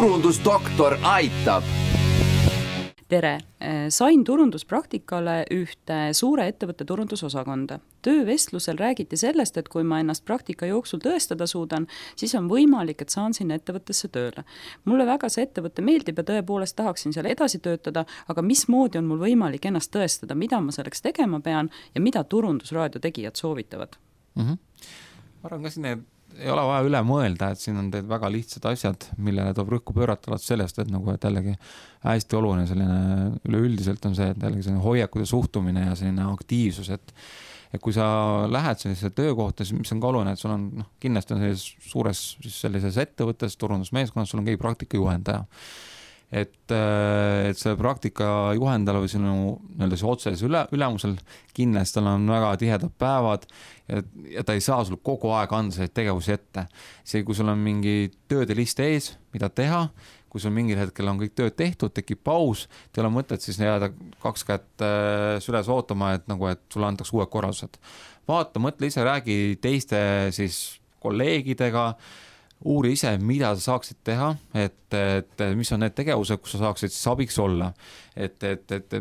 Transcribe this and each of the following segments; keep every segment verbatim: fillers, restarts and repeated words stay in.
turundusdoktor aitab. Tere! Sain turunduspraktikale ühte suure ettevõtte turundusosakonda. Töövestlusel räägiti sellest, et kui ma ennast praktika jooksul tõestada suudan, siis on võimalik, et saan sinna ettevõttesse tööle. Mulle väga see ettevõtte meeldib ja tõepoolest tahaksin seal edasi töötada, aga mismoodi on mul võimalik ennast tõestada, mida ma selleks tegema pean ja mida turundusraadio tegijad soovitavad? Mm-hmm. Ma arvan ka siin ei ole vaja üle mõelda, et siin on teed väga lihtsad asjad, millele toob rõhku pöörata sellest, et nagu et jällegi hästi oluline selline üleüldiselt on see, et jällegi selline hoiakud ja suhtumine ja selline aktiivsus, et, et kui sa lähed sellise töökohta, siis mis on ka oluline, et sul on noh, kindlasti on sellises suures siis sellises ettevõttes, turundusmeeskonnas, sul on keegi praktika juhendaja. Et, et see praktika juhendajal või sinu nii-öelda see otseses üle, ülemusel kindlasti tal on väga tihedad päevad ja, ja ta ei saa sul kogu aeg anda selliseid tegevusi ette. See, kui sul on mingi tööde list ees, mida teha, kui sul mingil hetkel on kõik tööd tehtud, tekib paus, te ole mõtet siis jääda kaks kätt süles ootama, et, nagu, et sulle antakse uued korraldused. Vaata, mõtle ise, räägi teiste siis kolleegidega, uuri ise, mida sa saaksid teha, et, et mis on need tegevused, kus sa saaksid siis abiks olla. Et, et, et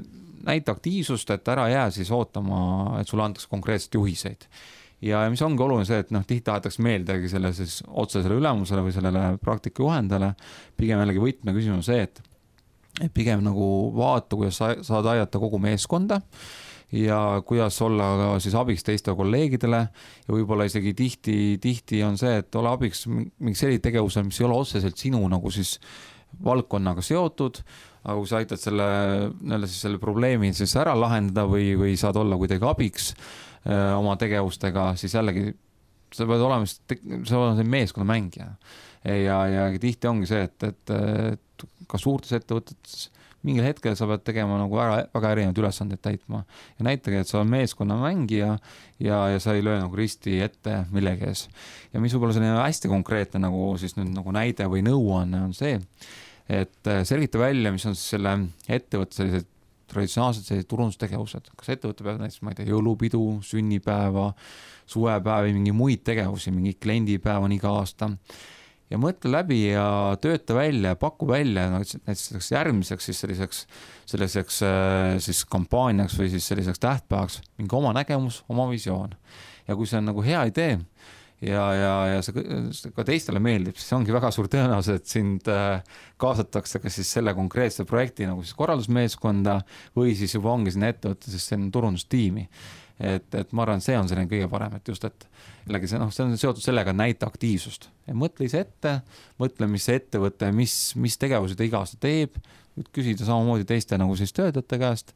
näita aktiivsust, et ära jää siis ootama, et sulle antakse konkreetselt juhiseid. Ja mis ongi oluline see, et noh, tihti tahetakse meeldegi selle siis otsesele ülemusele või sellele praktika juhendale. Pigem jällegi võtme küsimus see, et, et pigem nagu vaata, kuidas sa saad aidata kogu meeskonda ja kuidas olla siis abiks teiste kolleegidele ja võib-olla isegi tihti, tihti on see, et ole abiks mingi selline tegevusel, mis ei ole otseselt sinu nagu siis valdkonnaga seotud, aga kui sa aitad selle, siis selle probleemi siis ära lahendada või, või saad olla kuidagi abiks öö, oma tegevustega, siis jällegi sa pead olema, sa oled meeskonna mängija ja, ja tihti ongi see, et, et, et ka suurtes ettevõtetes mingil hetkel sa pead tegema nagu väga, väga erinevad ülesandeid täitma ja näitage, et sa oled meeskonna mängija ja, ja sa ei löö nagu risti ette millegi ees. Ja mis võib-olla selline hästi konkreetne nagu, siis nüüd nagu näide või nõuanne on see, et selgita välja, mis on siis selle ettevõtte sellised traditsionaalsed sellised turundustegevused. Kas ettevõtte peab näiteks, ma ei tea, jõulupidu, sünnipäeva, suvepäevi, mingi muid tegevusi, mingi kliendipäev on iga aasta. Ja mõtle läbi ja tööta välja ja paku välja näiteks järgmiseks siis selliseks, selliseks siis kampaaniaks või siis selliseks tähtpäevaks mingi oma nägemus, oma visioon. Ja kui see on nagu hea idee ja, ja, ja see ka teistele meeldib, siis ongi väga suur tõenäosus, et sind kaasatakse ka siis selle konkreetse projekti nagu siis korraldusmeeskonda või siis juba ongi sinna ettevõtte siis selline turundustiimi. Et, et ma arvan, see on selline kõige parem, et just, et jällegi see, no, see on seotud sellega näita aktiivsust. Ja mõtle ise ette, mõtle, mis see ettevõte, mis, mis tegevusi ta iga aasta teeb, küsida samamoodi teiste nagu siis töötajate käest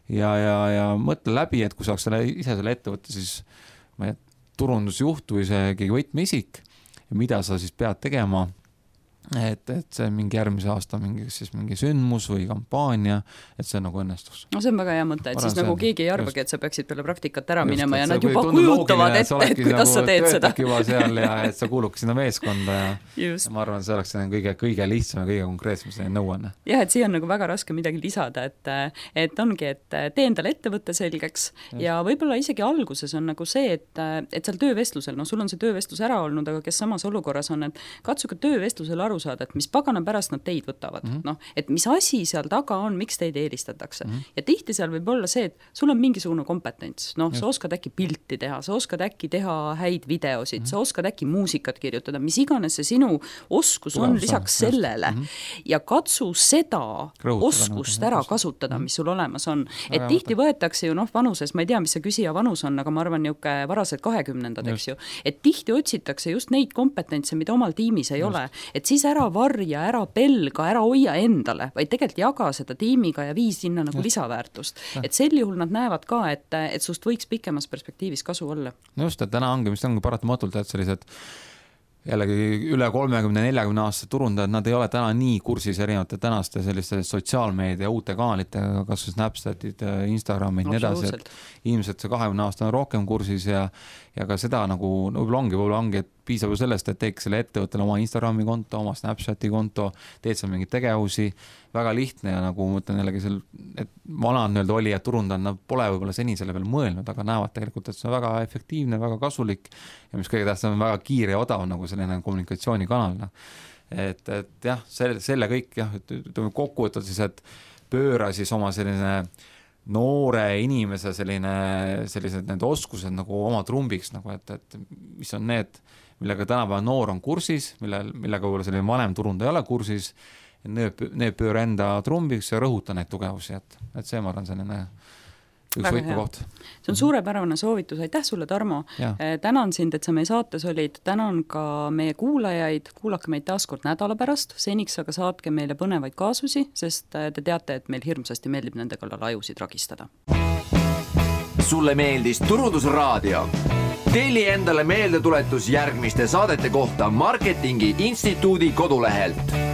ja, ja, ja mõtle läbi, et kui saaks selle, ise selle ettevõtte siis ma ei, turundusjuht või see keegi võtmeisik ja mida sa siis pead tegema, et, et see mingi järgmise aasta mingi, siis mingi sündmus või kampaania, et see nagu õnnestus. No see on väga hea mõte, et siis nagu keegi ei arvagi, et sa peaksid peale praktikat ära minema ja nad juba kujutavad ette, et kuidas nagu sa teed seda. Juba seal ja et sa kuuluks sinna meeskonda ja, ja ma arvan, see oleks kõige, kõige lihtsam ja kõige konkreetsem selline nõuanne. Jah, et siia on nagu väga raske midagi lisada, et, et ongi, et tee endale ettevõtte selgeks just. Ja võib-olla isegi alguses on nagu see, et, et seal töövestlusel, no sul on see töövestlus ära olnud, aga kes samas olukorras on, et katsuge töövestlusel aru saada, et mis pagana pärast nad teid võtavad. Mm -hmm. No, et mis asi seal taga on, miks teid eelistatakse. Mm -hmm. Ja tihti seal võib olla see, et sul on mingisugune kompetents. No, sa oskad äkki pilti teha, sa oskad äkki teha häid videosid, mm -hmm. sa oskad äkki muusikat kirjutada, mis iganes see sinu oskus Tulemus on lisaks on, sellele. Mm -hmm. Ja katsu seda Krõutada, oskust ära kasutada, mis sul olemas on. Et Aga tihti võetakse ju noh, vanuses, ma ei tea, mis see küsija vanus on, aga ma arvan niuke varased kahekümnendad, eks ju. Et tihti otsitakse just neid kompetentse, mida omal tiimis ei just. Ole. Et siis ära varja, ära pelga, ära hoia endale, vaid tegelikult jaga seda tiimiga ja vii sinna nagu just. Lisaväärtust. Ja. Et sel juhul nad näevad ka, et, et sust võiks pikemas perspektiivis kasu olla. No just, et täna ongi, mis ongi paratamatult, et sellised jällegi üle kolmekümne neljakümne aastase turundajad, nad ei ole täna nii kursis erinevate tänaste selliste sotsiaalmeedia uute kanalitega, kas Snapchatid, Instagramid, nii edasi, et inimesed see kahekümne aasta on rohkem kursis ja, ja ka seda nagu, no võib-olla ongi, võib-olla ongi, et piisab ju sellest, et teeks selle ettevõttele oma Instagrami konto, oma Snapchati konto, teed seal mingeid tegevusi, väga lihtne ja nagu mõtlen jällegi seal, et vanad nii-öelda oli, et turundajad, nad pole võib-olla seni selle peale mõelnud, aga näevad tegelikult, et see on väga efektiivne, väga kasulik ja mis kõige tähtsam on väga kiire ja odav nagu selline kommunikatsioonikanal. et, et jah, selle, selle kõik jah, ütleme kokku võtta siis, et pööra siis oma selline noore inimese selline, sellised need oskused nagu oma trumbiks, nagu et, et mis on need, millega tänapäeva noor on kursis, mille, millega võib-olla selline vanem turundaja ei ole kursis, need, need pööra enda trumbiks ja rõhuta neid tugevusi, et, et see ma arvan selline üks võtmekoht. See on suurepärane soovitus, aitäh sulle, Tarmo. Tänan sind, et sa meie saates olid, tänan ka meie kuulajaid, kuulake meid taaskord nädala pärast, seniks aga saatke meile põnevaid kaasusi, sest te teate, et meil hirmsasti meeldib nende kallal ajusid ragistada. Sulle meeldis Turundusraadio? Telli endale meeldetuletus järgmiste saadete kohta Marketingi Instituudi kodulehelt.